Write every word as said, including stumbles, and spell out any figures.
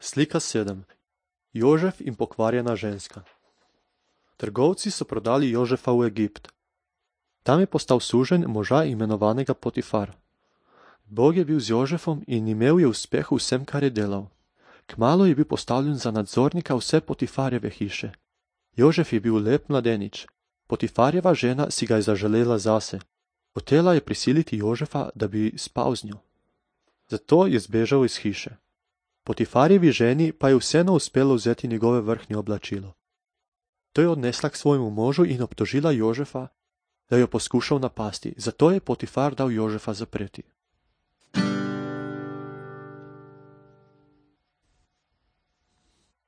Slika sedem. Jožef in pokvarjena ženska. Trgovci so prodali Jožefa v Egipt. Tam je postal suženj moža imenovanega Potifar. Bog je bil z Jožefom in imel je uspeh v vsem, kar je delal. Kmalu je bil postavljen za nadzornika vse Potifarjeve hiše. Jožef je bil lep mladenič. Potifarjeva žena si ga je zaželela zase. Hotela je prisiliti Jožefa, da bi spal z njo. Zato je zbežal iz hiše. Potifarjevi ženi pa je vseeno uspelo vzeti njegove vrhnje oblačilo. To je odnesla k svojemu možu in obtožila Jožefa, da jo poskušal napasti, zato je Potifar dal Jožefa zapreti.